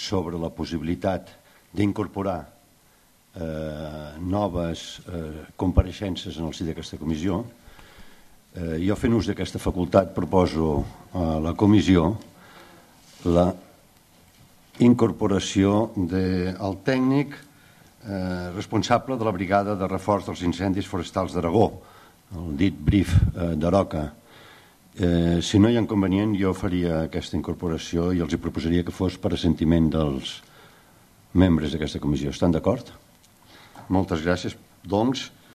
sobre la possibilitat d'incorporar noves compareixences en el si d'aquesta comissió. Jo, fent ús d'aquesta facultat, proposo a la comissió la incorporació del tècnic responsable de la brigada de reforç dels incendis forestals d'Aragó, el dit BRIF d'Aroca. Si no hi ha inconvenient, jo faria aquesta incorporació i els hi proposaria que fos per assentiment dels membres d'aquesta comissió. Estan d'acord? Moltes gràcies. Doncs,